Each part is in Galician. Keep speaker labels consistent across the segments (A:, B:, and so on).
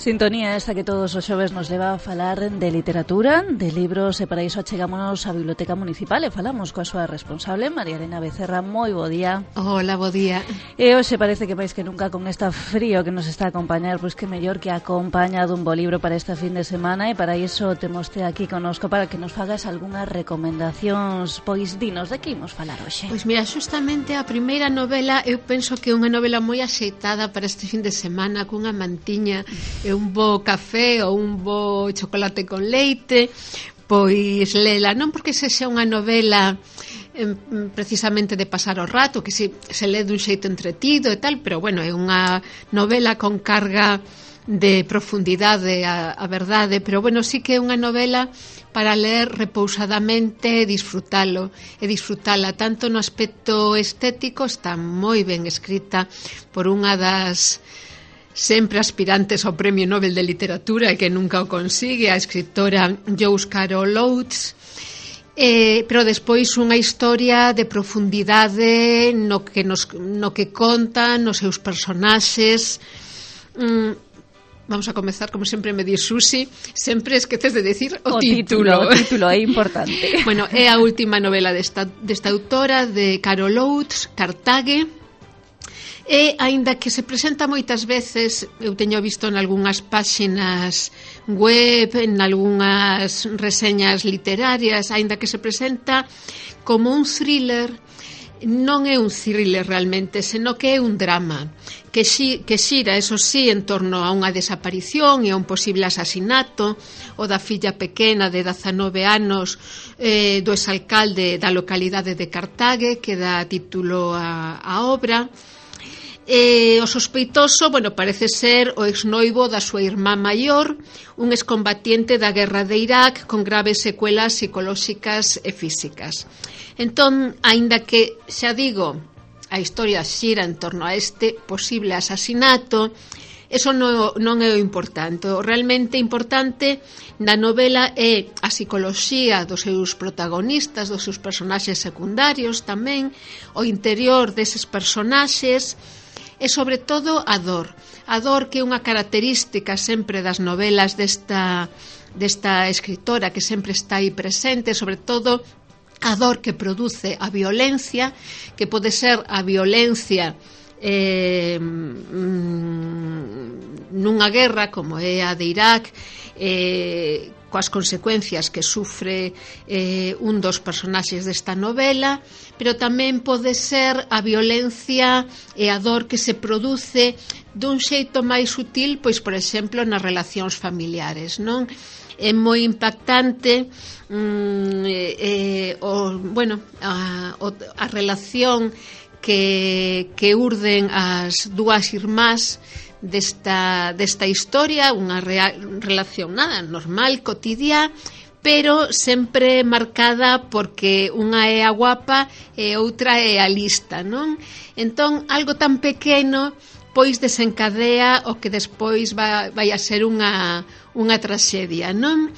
A: Sintonía esta que todos os xoves nos leva a falar de literatura, de libros, e para iso achegámonos á Biblioteca Municipal e falamos coa súa responsable, María Elena Becerra. Moi bo día.
B: Hola, bo día.
A: E hoxe parece que máis que nunca con esta frío que nos está a acompañar, pois que mellor que acompaña dun bo libro para esta fin de semana, e para iso temos aquí conosco para que nos fagas algunhas recomendacións. Pois dinos, de que imos falar hoxe?
B: Pois mira, justamente a primeira novela eu penso que é unha novela moi axeitada para este fin de semana, cunha mantiña e un bo café ou un bo chocolate con leite. Pois lela, non porque sexa unha novela precisamente de pasar o rato, que se lê dun xeito entretido e tal, pero bueno, é unha novela con carga de profundidade, a verdade, pero bueno, sí que é unha novela para ler repousadamente e disfrutala tanto no aspecto estético. Está moi ben escrita por unha das sempre aspirantes ao Premio Nobel de Literatura e que nunca o consigue, a escritora Joyce Carol Oates, pero despois unha historia de profundidade no que conta, nos seus personaxes. Vamos a comezar, como sempre me di Susi, sempre esqueces de decir o título.
A: O título é importante.
B: Bueno, é a última novela desta autora, de Carol Oates, Cartage. E, aínda que se presenta moitas veces, eu teño visto en algunhas páxinas web, en algunhas reseñas literarias, aínda que se presenta como un thriller, non é un thriller realmente, senón que é un drama que xira, eso sí, en torno a unha desaparición e a un posible asasinato o da filla pequena de 19 anos do exalcalde da localidade de Cartage, que dá título á obra. O sospeitoso, bueno, parece ser o exnoivo da súa irmá maior, un excombatiente da guerra de Irak con graves secuelas psicolóxicas e físicas. Entón, aínda que, xa digo, a historia xira en torno a este posible asasinato, eso non é o importante. O realmente importante na novela é a psicoloxía dos seus protagonistas, dos seus personaxes secundarios tamén, o interior deses personaxes, e sobre todo a dor que é unha característica sempre das novelas desta escritora, que sempre está aí presente, sobre todo a dor que produce a violencia, que pode ser a violencia nunha guerra como é a de Irak, coas consecuencias que sufre un dos personaxes desta novela, pero tamén pode ser a violencia e a dor que se produce dun xeito máis sutil, pois, por exemplo, nas relacións familiares, non? É moi impactante a relación que urden as dúas irmás desta historia, unha relación nada normal, cotidiá, pero sempre marcada porque unha é a guapa e outra é a lista, non? Entón, algo tan pequeno pois desencadea o que despois vai a ser unha traxedia, non?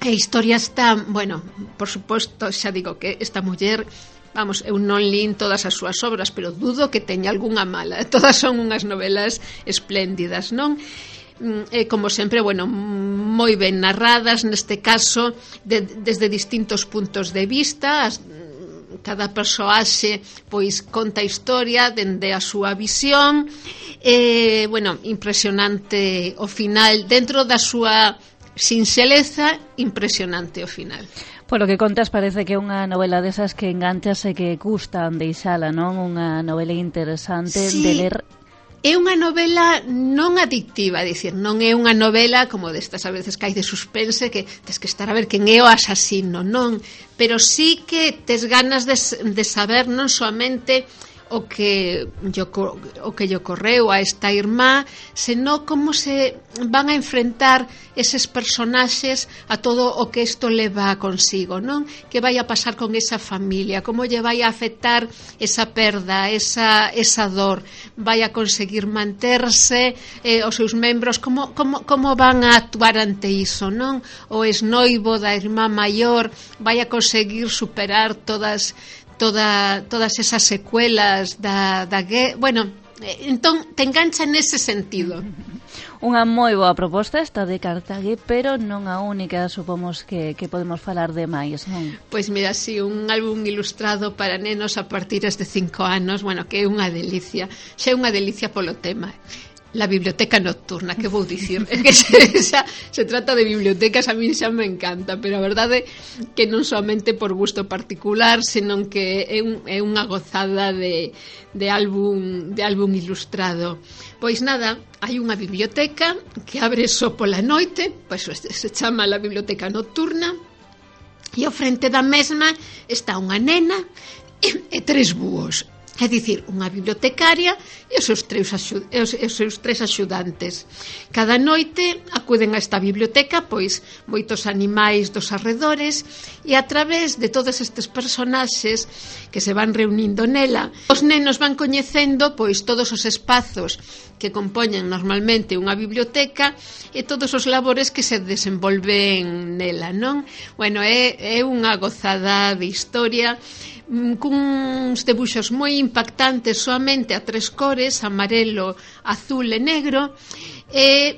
B: A historia está, bueno, por suposto, xa digo que esta muller, vamos, eu non lín todas as súas obras, pero dudo que teña algunha mala. Todas son unhas novelas espléndidas, non? Como sempre, bueno, moi ben narradas, neste caso, desde distintos puntos de vista. Cada persoaxe, pois, conta a historia dende a súa visión. Bueno, impresionante o final, dentro da súa sinxeleza, impresionante o final.
A: Polo que contas, parece que é unha novela desas que enganchas e que gustan deixala, non? Unha novela interesante de ler.
B: É unha novela non adictiva, é dicir, non é unha novela como destas a veces que hai de suspense, que tes que estar a ver quen é o asasino, non, pero sí que tes ganas de saber non soamente o que lle ocorreu a esta irmá, senón como se van a enfrentar eses personaxes a todo o que isto leva consigo, non? Que vai a pasar con esa familia, como lle vai a afectar esa perda, esa dor, vai a conseguir manterse, os seus membros, como van a actuar ante iso, non? O exnoivo da irmá maior vai a conseguir superar todas esas secuelas da guerra. Bueno, entón te engancha nese sentido.
A: Unha moi boa proposta esta de Cartague, pero non a única, supomos que podemos falar de máis, non?
B: Pois mira, sí, un álbum ilustrado para nenos a partir de 5 anos, bueno, que é unha delicia, xa é unha delicia polo tema. La biblioteca nocturna, que vou dicir? É que se trata de bibliotecas, a mí xa me encanta, pero a verdade que non somente por gusto particular, senón que é unha gozada de álbum ilustrado. Pois nada, hai unha biblioteca que abre só pola noite, pois se chama la biblioteca nocturna, e ao frente da mesma está unha nena e 3 búhos. É dicir, unha bibliotecaria e os seus 3 axudantes. Cada noite acuden a esta biblioteca pois moitos animais dos arredores e a través de todos estes personaxes que se van reunindo nela, os nenos van coñecendo pois todos os espazos que compoñen normalmente unha biblioteca e todos os labores que se desenvolven nela, non? Bueno, é unha gozada de historia cuns debuxos moi impactantes soamente a 3 cores, amarelo, azul e negro, e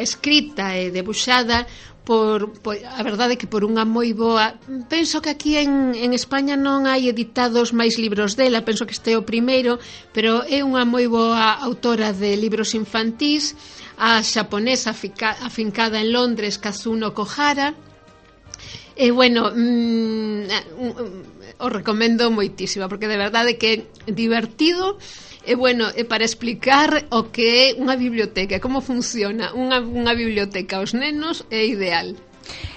B: escrita e debuxada por a verdade que por unha moi boa. Penso que aquí en España non hai editados máis libros dela, penso que este é o primeiro, pero é unha moi boa autora de libros infantís, a xaponesa afincada en Londres, Kazuno Kohara. E bueno, o recomendo moitísimo, porque de verdade que é divertido e bueno, é para explicar o que é unha biblioteca, como funciona unha biblioteca aos nenos, é ideal.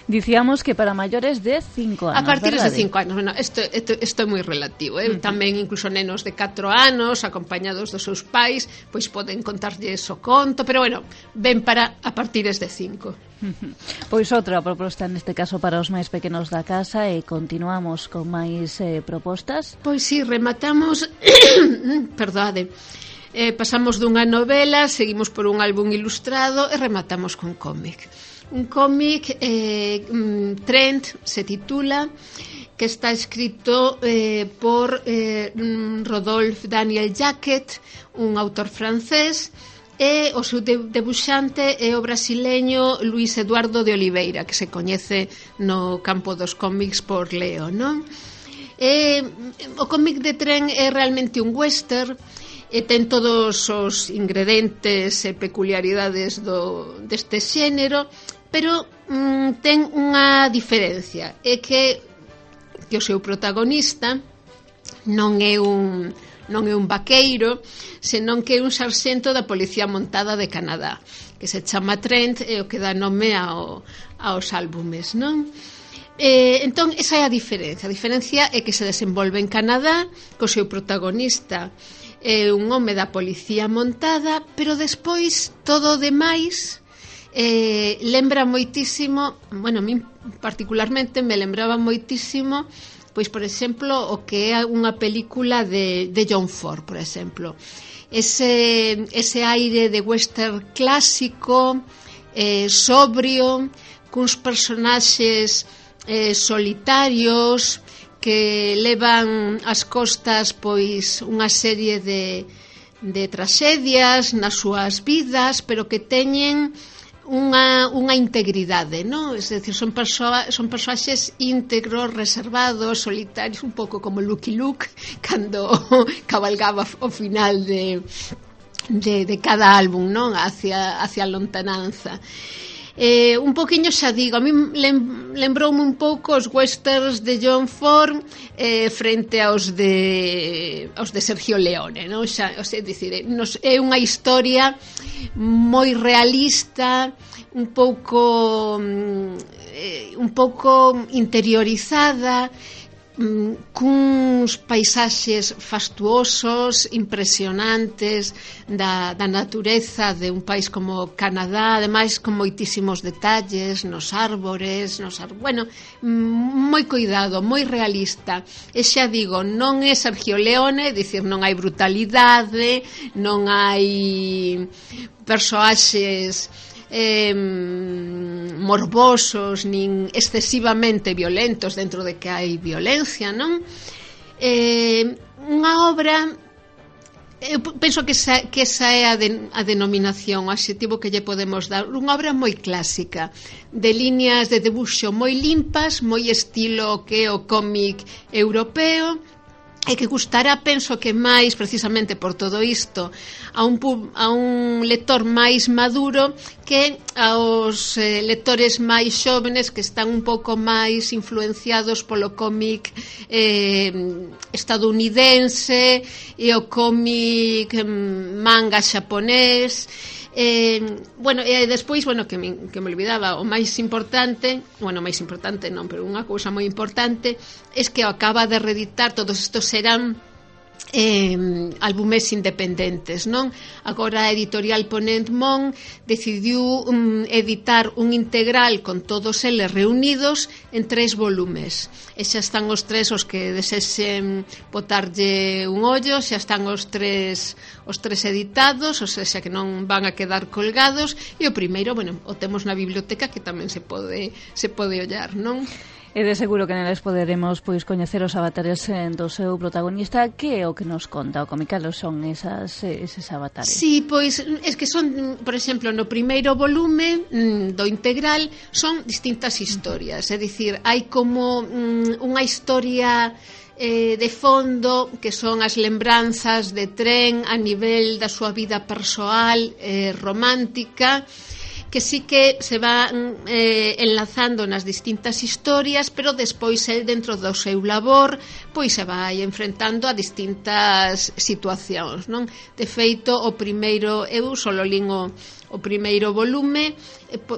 A: Dicíamos que para maiores de 5 anos,
B: a partir de
A: ¿verdade?
B: 5 anos, bueno, isto é moi relativo, tamén incluso nenos de 4 anos acompañados dos seus pais, pois poden contarlles o conto, pero bueno, ven para a partir de 5.
A: Pois outra proposta neste caso para os máis pequenos da casa e continuamos con máis propostas.
B: Pois si, rematamos perdade, pasamos dunha novela, seguimos por un álbum ilustrado e rematamos con cómic. Un cómic, Trent se titula, que está escrito por Rodolphe Daniel Jacquet, un autor francés, e o seu debuxante é o brasileño Luis Eduardo de Oliveira, que se coñece no campo dos cómics por Leo, non? O cómic de Trent é realmente un western, e ten todos os ingredientes e peculiaridades deste xénero, pero ten unha diferencia, é que o seu protagonista non é un vaqueiro, senón que é un sarxento da Policía Montada de Canadá, que se chama Trent e o que dá nome aos álbumes, non? Entón, esa é a diferencia. A diferencia é que se desenvolve en Canadá, co seu protagonista é un home da Policía Montada, pero despois todo o demais lembra moitísimo, bueno, a mí particularmente me lembraba moitísimo, pois, por exemplo, o que é unha película de John Ford, por exemplo. Ese aire de western clásico, sobrio, cuns personaxes solitarios que levan ás costas pois unha serie de tragedias nas súas vidas, pero que teñen unha integridade, non? É dicir, son persoaxes íntegros, reservados, solitarios, un pouco como Lucky Luke cando cabalgaba ao final de cada álbum, non? Hacia a lontananza. Un poquinho, xa digo, a mí lembroume un pouco os westerns de John Ford frente aos de Sergio Leone, non? Xa, é dicir, é unha historia moi realista, un pouco interiorizada, cuns paisaxes fastuosos, impresionantes da natureza de un país como Canadá, ademais con moitísimos detalles nos árbores, bueno, moi cuidado, moi realista. E xa digo, non é Sergio Leone, dicir, non hai brutalidade, non hai persoaxes morbosos nin excesivamente violentos dentro de que hai violencia, non? Unha obra Eu penso que esa é a denominación, o adxetivo que lle podemos dar. Unha obra moi clásica, de líneas de debuxo moi limpas, moi estilo que é o cómic europeo, e que gustará, penso que máis precisamente por todo isto a un lector máis maduro que aos lectores máis xóvenes que están un pouco máis influenciados polo cómic estadounidense e o cómic manga xaponés. Bueno, e despois, que me olvidaba, o máis importante non, pero unha cousa moi importante é que acaba de reeditar, todos estos serán álbumes independentes, non? Agora a editorial Ponent Mon decidiu editar un integral con todos eles reunidos en 3 volumes, e xa están os 3 os que desexen botarlle un ollo, xa están os tres editados, ou seja que non van a quedar colgados, e o primeiro, o temos na biblioteca, que tamén se pode ollar, non?
A: E de seguro que neles poderemos coñecer os avatares do seu protagonista. Que é o que nos conta o cómic? Calos son eses avatares?
B: Sí, pois es que son, por exemplo, no primeiro volume do integral son distintas historias, é dicir, hai como unha historia de fondo que son as lembranzas de Tren a nivel da súa vida persoal, romántica, que sí que se van enlazando nas distintas historias, pero despois el dentro do seu labor pois se vai enfrentando a distintas situacións, non? De feito, o primeiro, eu solo lín o primeiro volume,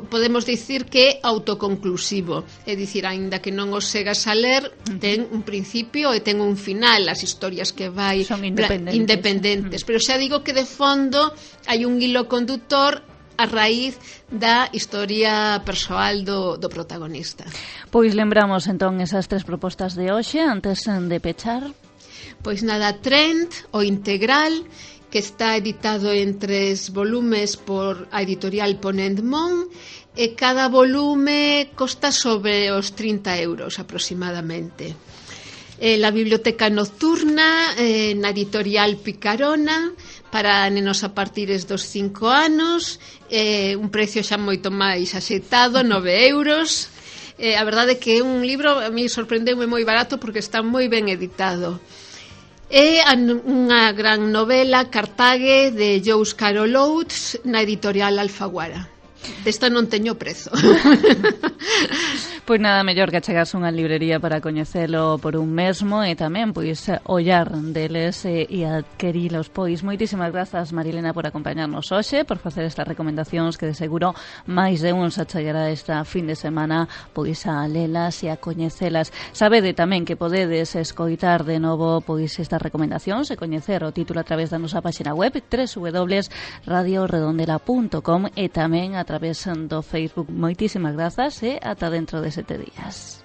B: podemos dicir que é autoconclusivo, é dicir, aínda que non os segas a ler, ten un principio e ten un final, as historias que vai
A: son independentes.
B: Pero xa digo que de fondo hai un hilo condutor a raíz da historia persoal do protagonista.
A: Pois lembramos entón esas 3 propostas de hoxe antes de pechar.
B: Pois nada, Trent, o integral, que está editado en 3 volumes por a editorial Ponent Mon, e cada volume costa sobre os 30 euros aproximadamente. La biblioteca nocturna, na editorial Picarona, para nenos a partires dos 5 anos, un precio xa moito máis axeitado, 9 euros. A verdade é que é un libro, a mí sorprendeume moi barato porque está moi ben editado. É unha gran novela, Cartague, de Jous Carol Oates, na editorial Alfaguara. Desta non teño prezo.
A: Pois nada mellor que achegarse unha librería para coñecelo por un mesmo e tamén ollar deles e adquirilos. Pois moitísimas grazas, Marilena, por acompañarnos hoxe, por facer estas recomendacións que de seguro máis de un se achegará esta fin de semana a lelas e a coñecelas. Sabede tamén que podedes escoitar de novo estas recomendacións e coñecer o título a través da nosa página web www.radioredondela.com e tamén a través do Facebook. Moitísimas grazas e ata dentro de 7 días.